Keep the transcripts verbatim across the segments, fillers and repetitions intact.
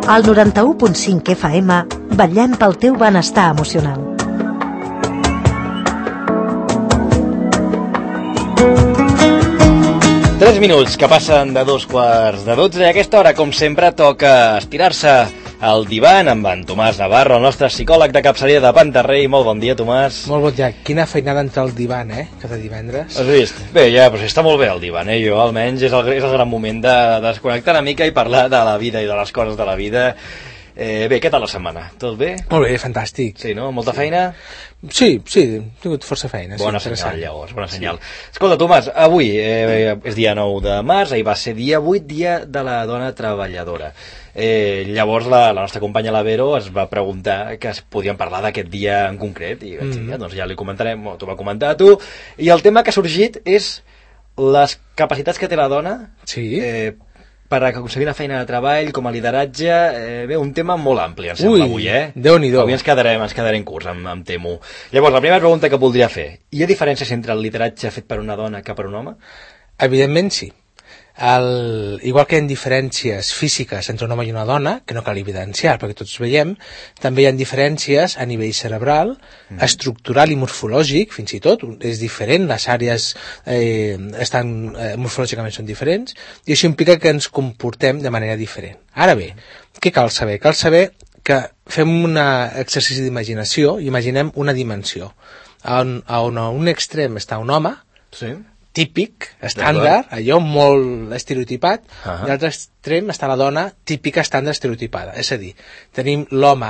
Al noranta-u punt cinc F M vetllem pel teu benestar emocional. Tres minuts que passen de dos quarts de dotze i a aquesta hora, com sempre, toca estirar-se al divan amb en Tomàs Navarro, el nostre psicòleg de capçalera de Pantarrei. Molt bon dia, Tomàs. Molt bon dia. Quina feinada entrar al divan, eh? Cada divendres. Has vist? Bé, ja, però està molt bé el divan, eh? Jo, almenys, és el, és el gran moment de, de desconnectar una mica i parlar de la vida i de les coses de la vida. Eh, bé, què tal la setmana? Tot bé? Molt bé, fantàstic. Sí, no? Molta sí. feina? Sí, sí, he tingut força feina. Bona sí, senyal, llavors, bona senyal. Sí. Escolta, Tomàs, avui eh, és dia nou de març, ahir va ser dia vuit, dia de la dona treballadora. Eh, llavors la, la nostra companya la Vero es va preguntar que es podien parlar d'aquest dia en concret i vaig dir, mm. ja, doncs ja li comentarem, t'ho va comentar a tu, i el tema que ha sorgit és les capacitats que té la dona sí. eh, per aconseguir una feina de treball, com a lideratge, eh, bé, un tema molt ampli, em sembla, Ui, avui, eh? Déu-n'hi-do. Avui ens quedarem, ens quedarem curts, em, em temo. Llavors, la primera pregunta que voldria fer, hi ha diferències entre el lideratge fet per una dona que per un home? Evidentment sí. El, igual que hi ha diferències físiques entre un home i una dona, que no cal evidenciar perquè tots veiem, també hi ha diferències a nivell cerebral, mm. estructural i morfològic, fins i tot, és diferent, les àrees eh, estan, eh, morfològicament són diferents, i això implica que ens comportem de manera diferent. Ara bé, què cal saber? Cal saber que fem un exercici d'imaginació i imaginem una dimensió. On, on a un extrem està un home, sí. típic, estàndard, allò molt estereotipat, uh-huh. i a l'altre extrem està la dona típica, estàndard, estereotipada. És a dir, tenim l'home.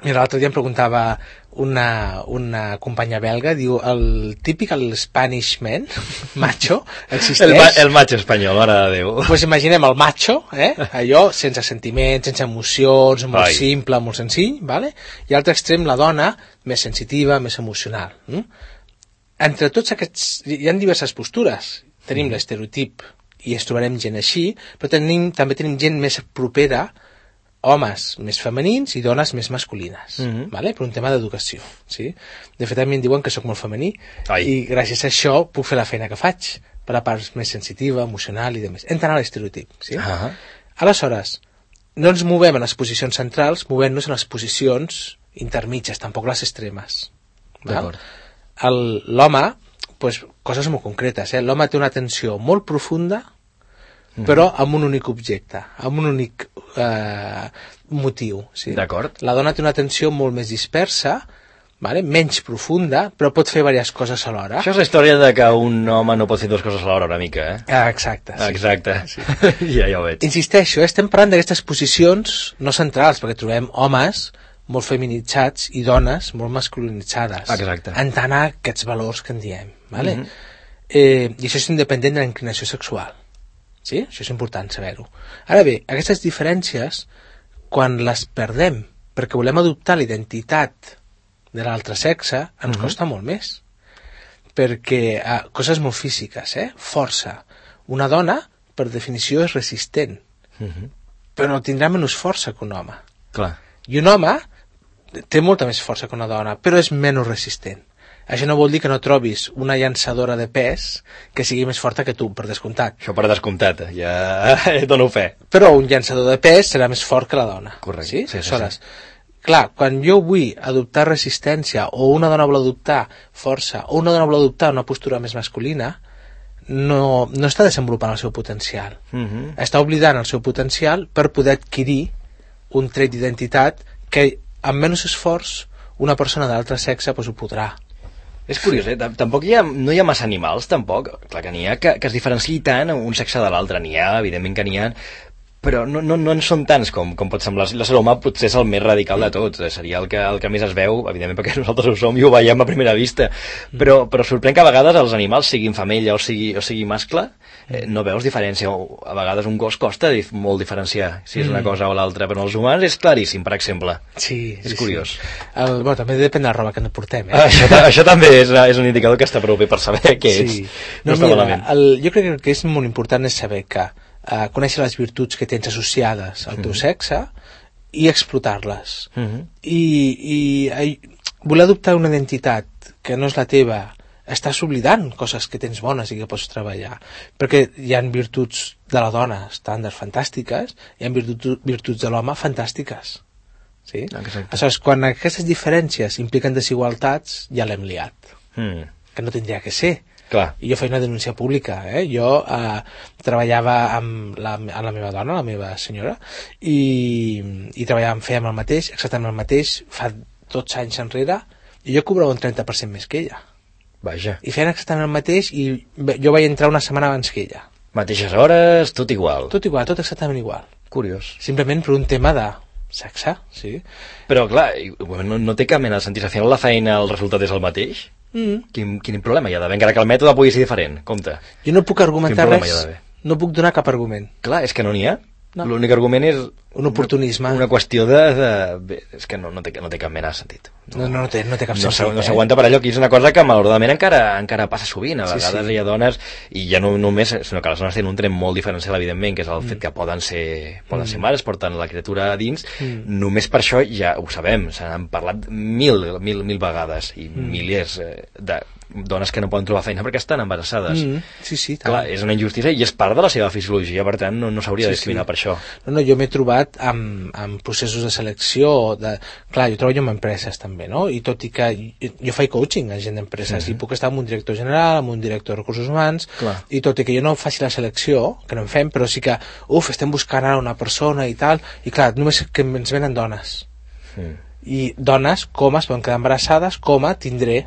Mira, l'altre dia em preguntava una, una companya belga, diu, el típic, el Spanish man, macho, existeix? El, ma el macho espanyol, mare de Déu. Doncs pues imaginem el macho, eh? Allò sense sentiments, sense emocions, molt Ai. simple, molt senzill, vale? I a l'altre extrem la dona, més sensitiva, més emocional. Mm? Entre tots aquests, hi ha diverses postures. Tenim mm. l'estereotip i ens trobarem gent així, però tenim, també tenim gent més propera, homes més femenins i dones més masculines, mm -hmm. vale? Per un tema d'educació. Sí? De fet, a mi em diuen que sóc molt femení Ai. i gràcies a això puc fer la feina que faig, per la part més sensitiva, emocional i demés. Entrant a l'estereotip. Sí? Uh -huh. Aleshores, no ens movem en les posicions centrals, movem-nos en les posicions intermitges, tampoc les extremes. D'acord. L'home, pues, coses molt concretes, eh? L'home té una atenció molt profunda, mm. però amb un únic objecte, amb un únic eh, motiu. Sí? D'acord. La dona té una atenció molt més dispersa, vale? Menys profunda, però pot fer diverses coses alhora. Això és la història de que un home no pot fer dues coses alhora una mica, eh? Ah, exacte. Sí. Exacte. Sí. ja, ja ho veig. Insisteixo, eh? Estem parlant d'aquestes posicions no centrals, perquè trobem homes molt feminitzats i dones molt masculinitzades. Exacte. En tant a aquests valors que en diem. Vale? Mm -hmm. eh, I això és independent de la inclinació sexual. Sí? Això és important saber-ho. Ara bé, aquestes diferències, quan les perdem perquè volem adoptar la identitat de l'altre sexe, ens mm -hmm. costa molt més. Perquè, eh, coses molt físiques, eh? Força. Una dona, per definició, és resistent. Mm -hmm. Però no tindrà menys força que un home. Clar. I un home té molta més força que una dona, però és menys resistent. Això no vol dir que no trobis una llançadora de pes que sigui més forta que tu, per descomptat. Això per descomptat, ja dono fe. Però un llançador de pes serà més fort que la dona. Correcte. Sí? Sí, sí, Aleshores, sí. Clar, quan jo vull adoptar resistència, o una dona vol adoptar força, o una dona vol adoptar una postura més masculina, no, no està desenvolupant el seu potencial. Uh -huh. Està oblidant el seu potencial per poder adquirir un tret d'identitat que amb menys esforç una persona de l'altre sexe pues, ho podrà. És curiós, eh? Tampoc hi ha, no hi ha massa animals, tampoc. Clar que n'hi ha, que, que es diferenciï tant un sexe de l'altre. N'hi ha, evidentment que n'hi ha, però no, no, no en són tants com, com pot semblar. L'ésser humà potser és el més radical de tots. Seria el que, el que més es veu, evidentment perquè nosaltres ho som i ho veiem a primera vista. Però, però sorprèn que a vegades els animals, siguin femella o sigui, o sigui mascle, eh, no veus diferència. A vegades un gos costa dif molt diferenciar si és una cosa o l'altra, però els humans és claríssim, per exemple. Sí, és sí, curiós. Sí. El, bueno, també depèn de la roba que ens portem. Eh? Això, això també és, és un indicador que està prou bé per saber què sí. és. No, no està mira, malament. El, jo crec que el que és molt important és saber que uh, conèixer les virtuts que tens associades al teu mm -hmm. sexe i explotar-les. Mm -hmm. I, i, i voler adoptar una identitat que no és la teva estàs oblidant coses que tens bones i que pots treballar, perquè hi ha virtuts de la dona estàndard fantàstiques, hi ha virtuts, virtuts de l'home fantàstiques, sí? Aleshores, quan aquestes diferències impliquen desigualtats, ja l'hem liat, mm. que no tindria que ser. Clar. I jo feia una denúncia pública, eh? Jo eh, treballava amb la, amb la meva dona, la meva senyora, i, i treballàvem, fèiem el mateix, exactament el mateix, fa dotze anys enrere, i jo cobrava un trenta per cent més que ella. Vaja. I feien exactament el mateix, i jo vaig entrar una setmana abans que ella. Mateixes hores, tot igual. Tot igual, tot exactament igual. Curiós. Simplement per un tema de sexe, sí. Però, clar, no, no té cap mena de sentit. Al final la feina, el resultat és el mateix? Mm. Quin, quin problema hi ha d'haver, encara que el mètode pugui ser diferent, compte. Jo no puc argumentar res, no puc donar cap argument. Clar, és que no n'hi ha. No. L'únic argument és un oportunisme, una, una qüestió de, de... és que no, no, té, no té cap mena de sentit. No, no, no, té, no té cap no sentit. No s'aguanta eh? per allò, que és una cosa que malauradament encara, encara passa sovint. A vegades sí, sí. hi ha dones, i ja no només, sinó que les dones tenen un tret molt diferencial, evidentment, que és el mm. fet que poden ser, poden mm. ser mares, porten la criatura a dins. Mm. Només per això ja ho sabem, se n'han parlat mil, mil, mil vegades, i mm. milers de dones que no poden trobar feina perquè estan embarassades. Mm, sí, sí, tant. Clar, és una injustícia i és part de la seva fisiologia, per tant no, no s'hauria sí, de discriminar sí. per això. No, no, jo m'he trobat amb, amb processos de selecció de... Clar, jo treballo amb empreses també, no? I tot i que jo, jo faig coaching a gent d'empreses mm-hmm. i puc estar amb un director general, amb un director de recursos humans, clar. I tot i que jo no faci la selecció, que no en fem, però sí que, uf, estem buscant ara una persona i tal, i clar, només que ens venen dones. Mm. I dones, com es poden quedar embarassades, com a tindré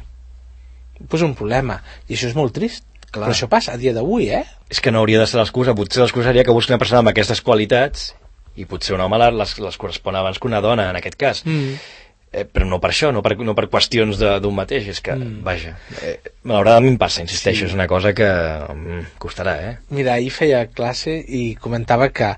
pues un problema, i això és molt trist. Clar. Però això passa a dia d'avui, eh? És que no hauria de ser l'excusa, potser l'excusa seria que busqui una persona amb aquestes qualitats i potser un home les, les correspon abans que una dona, en aquest cas. Mm. Eh, però no per això, no per, no per qüestions d'un mateix, és que, mm. vaja, eh, malauradament passa, insisteixo, sí. És una cosa que mm, costarà, eh? Mira, ahir feia classe i comentava que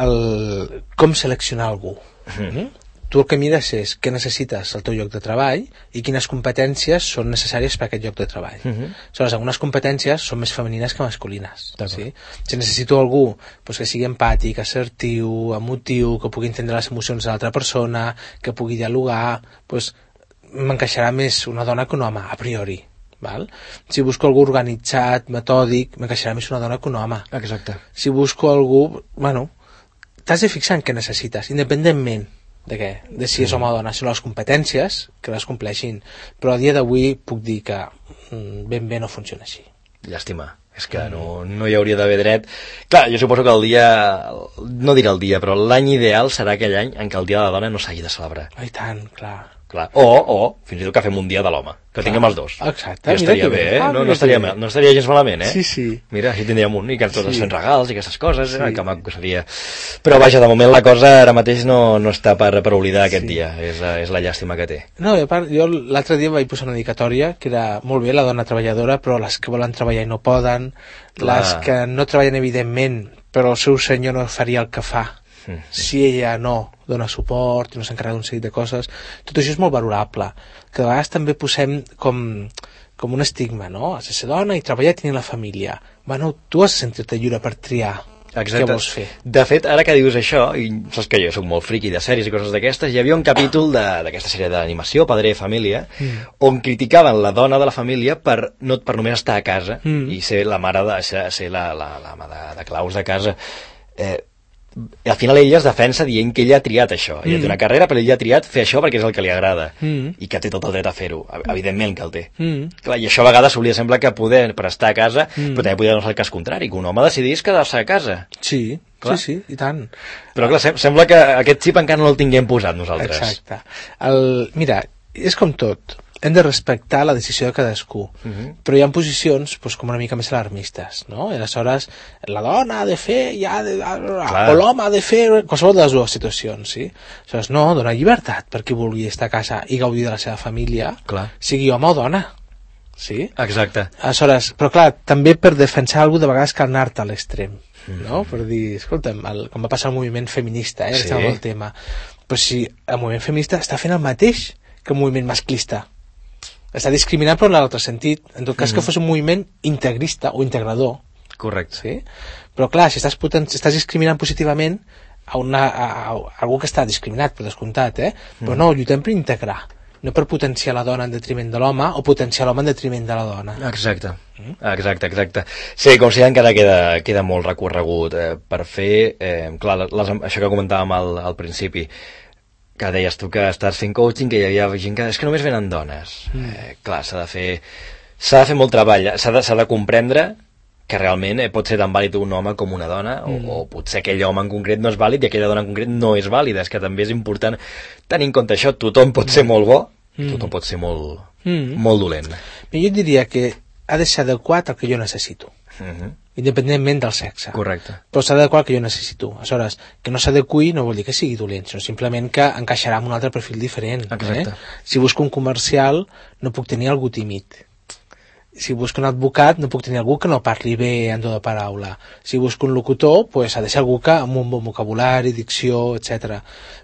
el, com seleccionar algú. Mm. Mm? Tu el que mires és què necessites al teu lloc de treball i quines competències són necessàries per a aquest lloc de treball. Uh-huh. Aleshores, algunes competències són més femenines que masculines. Sí? Si necessito algú doncs, que sigui empàtic, assertiu, emotiu, que pugui entendre les emocions de l'altra persona, que pugui dialogar, doncs, m'encaixarà més una dona que un home, a priori. Val? Si busco algú organitzat, metòdic, m'encaixarà més una dona que un home. Exacte. Si busco algú... Bueno, t'has de fixar en què necessites, independentment de què? De si és home o dona, són les competències que les compleixin, però a dia d'avui puc dir que ben bé no funciona així. Llàstima, és que no, no hi hauria d'haver dret. Clar, jo suposo que el dia, no diré el dia, però l'any ideal serà aquell any en què el dia de la dona no s'hagi de celebrar. Oh, i tant, clar. Clar. O, o, fins i tot que fem un dia de l'home, que clar. Tinguem els dos. Exacte. Ja estaria bé, eh? No, no, estaria, no estaria gens malament, eh? Sí, sí. Mira, així tindríem un, i que tots sí. fent regals i aquestes coses, sí. eh? Que maco seria. Però sí. vaja, de moment la cosa ara mateix no, no està per, per oblidar aquest sí. dia, és, és la llàstima que té. No, a part, jo l'altre dia vaig posar una dedicatòria que era molt bé, la dona treballadora, però les que volen treballar i no poden, clar. Les que no treballen evidentment, però el seu senyor no faria el que fa. Mm. Si ella no dona suport i no s'encarrega d'un seguit de coses, tot això és molt valorable, que de vegades també posem com, com un estigma, no? Has de ser dona i treballar i tenir la família. Bueno, tu has de sentir-te lliure per triar. Exacte. Què vols fer? De fet, ara que dius això, i saps que jo soc molt friqui de sèries i coses d'aquestes, hi havia un capítol d'aquesta sèrie d'animació, Padre de Família, mm. on criticaven la dona de la família per, no, per només estar a casa mm. i ser la mare de, ser, ser la, la, la, la de, de claus de casa. Eh, al final ella es defensa dient que ella ha triat això, ella mm. té una carrera però ella ha triat fer això perquè és el que li agrada mm. i que té tot el dret a fer-ho, evidentment que el té mm. clar, i això a vegades s'hauria sembla que poder per estar a casa, mm. però també podria no ser el cas contrari, que un home decidís quedar-se a casa. Sí, clar. sí, sí, i tant. Però clar, sem sembla que aquest xip encara no el tinguem posat nosaltres. Exacte. El, mira, és com tot, hem de respectar la decisió de cadascú, uh-huh. però hi ha posicions pues, com una mica més alarmistes, no? I aleshores la dona ha de fer, ja de, o l'home ha de fer, qualsevol de les dues situacions, sí? Aleshores, no, dona llibertat per qui vulgui estar a casa i gaudir de la seva família, clar. Sigui home o dona, sí? Exacte. Aleshores, però clar, també per defensar algú de vegades cal anar-te a l'extrem, mm. no? Per dir, escolta'm, el, com va passar el moviment feminista, eh? Sí. El tema. Però si el moviment feminista està fent el mateix que el moviment masclista, està discriminant però en l'altre sentit, en tot cas mm-hmm. que fos un moviment integrista o integrador. Correcte. Sí? Però clar, si estàs, potent, si estàs discriminant positivament a, una, a, a, a algú que està discriminat, per descomptat, eh? Mm. Però no, lluitem per integrar. no per potenciar la dona en detriment de l'home o potenciar l'home en detriment de la dona. Exacte, exacte, exacte. Sí, com si encara queda, queda molt recorregut eh, per fer, eh, clar, les, això que comentàvem al, al principi, que deies tu que estàs fent coaching, que hi havia gent que és que només venen dones. Mm. Eh, clar, s'ha de fer s'ha de fer molt treball, s'ha de, s'ha de comprendre que realment eh, pot ser tan vàlid un home com una dona, mm. o, o potser aquell home en concret no és vàlid i aquella dona en concret no és vàlida. És que també és important tenir en compte això. Tothom pot ser molt bo, mm. tothom pot ser molt, mm. molt dolent. Jo diria que ha de ser adequat al que jo necessito, mm-hmm. independentment del sexe. Correcte. Però s'ha d'adequar al que jo necessito. Aleshores, que no s'adequi no vol dir que sigui dolent, sinó simplement que encaixarà amb un altre perfil diferent. Exacte. Eh? Si busco un comercial, no puc tenir algú tímid. Si busco un advocat, no puc tenir algú que no parli bé en tota paraula. Si busco un locutor, pues, ha de ser algú que amb un bon vocabulari, dicció, etcètera.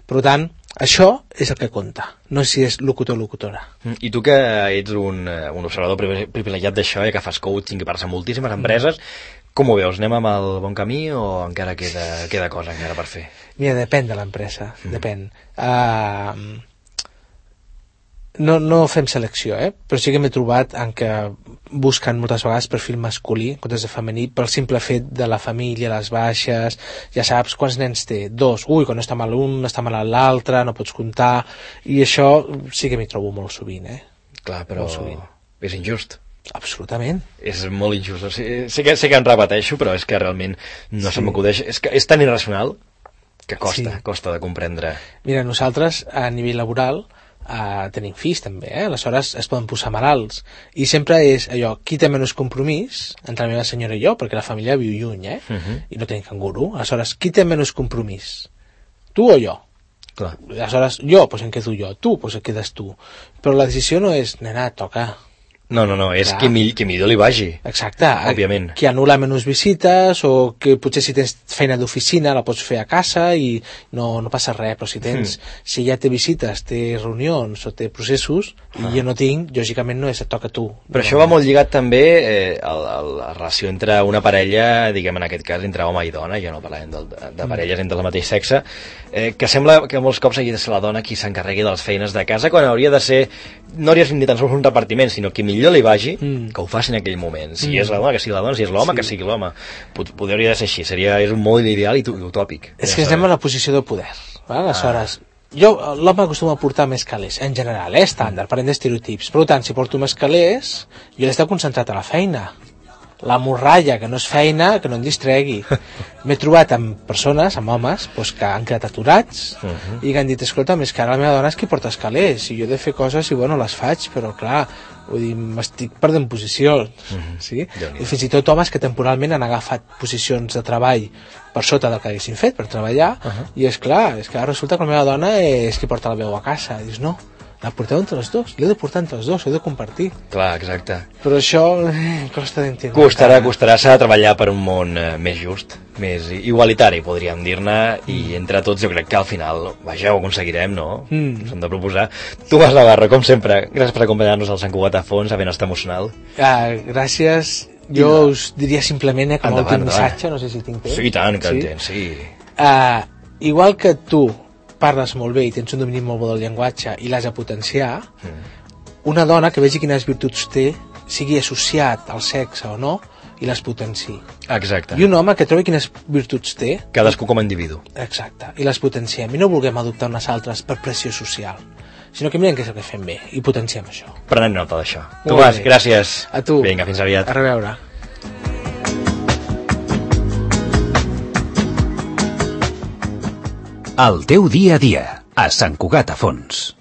Per tant, això és el que compta, no si és locutor o locutora. I tu que ets un, un observador privilegiat d'això, eh, que fas coaching, que parles amb moltíssimes empreses, com ho veus? Anem amb el bon camí o encara queda, queda cosa encara per fer? Mira, depèn de l'empresa, mm. depèn. Uh, no, no fem selecció, eh? Però sí que m'he trobat en què busquen moltes vegades perfil masculí en comptes de femení, pel simple fet de la família, les baixes, ja saps quants nens té, dos, ui, quan no està mal un, està mal l'altre, no pots comptar, i això sí que m'hi trobo molt sovint, eh? Clar, però és injust. Absolutament. És molt injust. O sigui, sé, que, sé que em repeteixo, però és que realment no sí. se m'acudeix. És que és tan irracional que costa, sí. costa de comprendre. Mira, nosaltres, a nivell laboral, Uh, tenim fills també, eh? Aleshores es poden posar malalts i sempre és allò, qui té menys compromís entre la meva senyora i jo, perquè la família viu lluny, eh? Uh-huh. I no tenim canguru. Aleshores, qui té menys compromís? Tu o jo? Clar. Aleshores, jo, doncs em quedo jo, tu, doncs et quedes tu, però la decisió no és, nena, toca. No, no, no, és qui, mi, qui millor li vagi. Exacte. Òbviament. Qui anul·la menys visites, o que potser si tens feina d'oficina la pots fer a casa i no, no passa res, però si tens, mm. si ja té visites, té reunions o té processos, ah. i jo no tinc, lògicament no és et toca a tu. Però no, això va molt lligat també eh, a, a la relació entre una parella, diguem en aquest cas, entre home i dona, ja no parlem de, de, de parelles mm. entre el mateix sexe, eh, que sembla que molts cops hagi de ser la dona qui s'encarregui de les feines de casa, quan hauria de ser, no hauria de ser ni tan sols un repartiment, sinó qui millor li vagi, mm. que ho faci en aquell moment. Si mm. és la dona, que sigui la dona, si és l'home, sí. que sigui l'home. Poder hauria de ser així, seria, és un model ideal i utòpic. És ja que estem en la posició de poder. Va? Aleshores, ah. jo, l'home acostuma a portar més calés, en general, eh, estàndard, parlem d'estereotips. Per tant, si porto més calés, jo he d'estar concentrat a la feina. La morralla, que no és feina, que no em distregui. M'he trobat amb persones, amb homes, doncs, que han quedat aturats uh-huh. i que han dit, escolta, més que ara la meva dona és qui porta escalers, i jo he de fer coses i bueno, les faig, però clar, vull dir, m'estic perdent posicions, uh-huh. sí? I fins i tot homes que temporalment han agafat posicions de treball per sota del que haguessin fet per treballar, uh-huh. i és clar, és que ara resulta que la meva dona és qui porta la veu a casa, i dius, no, la porteu entre els dos, l'he de portar entre els dos, l'he de compartir. Clar, exacte. Però això eh, costa d'entendre. Costarà, costarà, s'ha de treballar per un món eh, més just, més igualitari, podríem dir-ne, mm. i entre tots jo crec que al final, vaja, ho aconseguirem, no? Mm. S'han de proposar. Tomàs Navarro, com sempre, gràcies per acompanyar-nos al Sant Cugat a fons, a Benestar Emocional. Ah, gràcies. Jo no. us diria simplement, eh, com a últim missatge, no sé si tinc temps. Sí, i tant, que sí? en tens, sí. Uh, igual que tu parles molt bé i tens un domini molt bo del llenguatge i l'has de potenciar, mm. una dona que vegi quines virtuts té, sigui associat al sexe o no, i les potenciï. Exacte. I un home que trobi quines virtuts té... Cadascú com a individu. Exacte, i les potenciem. I no vulguem adoptar unes altres per pressió social, sinó que mirem què és el que fem bé i potenciem això. Prenem nota d'això. Tomàs, gràcies. A tu. Vinga, fins aviat. A reveure. El teu dia a dia, a Sant Cugat a Fons.